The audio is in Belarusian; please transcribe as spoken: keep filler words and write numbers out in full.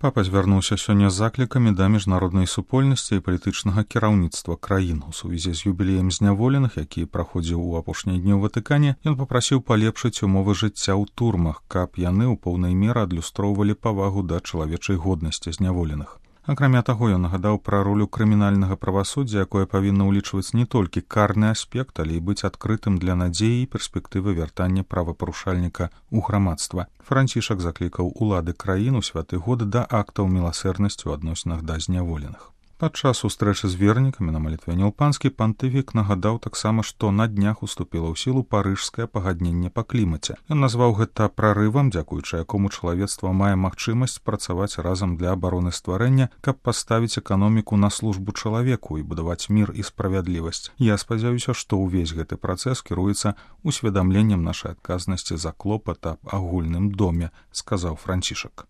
Папа звярнуўся сёння з заклікамі да міжнароднай супольнасці і палітычнага кіраўніцтва краін. У сувязі з юбілеем зняволеных, які праходзіў у апошнія дні ў Ватыкане, ён папрасіў палепшыць умовы жыцця ў турмах, каб яны ў поўнай меры адлюстроўвалі павагу да чалавечай годнасці зняволеных. Акрамя таго, ён нагадаў пра ролю крымінальнага правасуддзя, якое павінна ўлічваць не толькі карны аспект, але і быць адкрытым для надзеі і перспектывы вяртання правапарушальніка ў грамадства. Францішак заклікаў улады краін у святы год да актаў міласэрнасці ў адносінах да зняволеных. Падчас сустрэчы з вернікамі на малітве Нялпанскі пантыфік нагадаў таксама, што на днях уступіла ў сілу парыжскае пагадненне па клімаце. Ён назваў гэта прарывам, дзякуючы якому чалавецтва мае магчымасць працаваць разам для абароны стварэння, каб паставіць эканоміку на службу чалавеку і будаваць мір і справядлівасць. Я спадзяюся, што ўвесь гэты працэс кіруецца усведамленнем нашай адказнасці за клопат аб агульным доме, сказаў Францішак.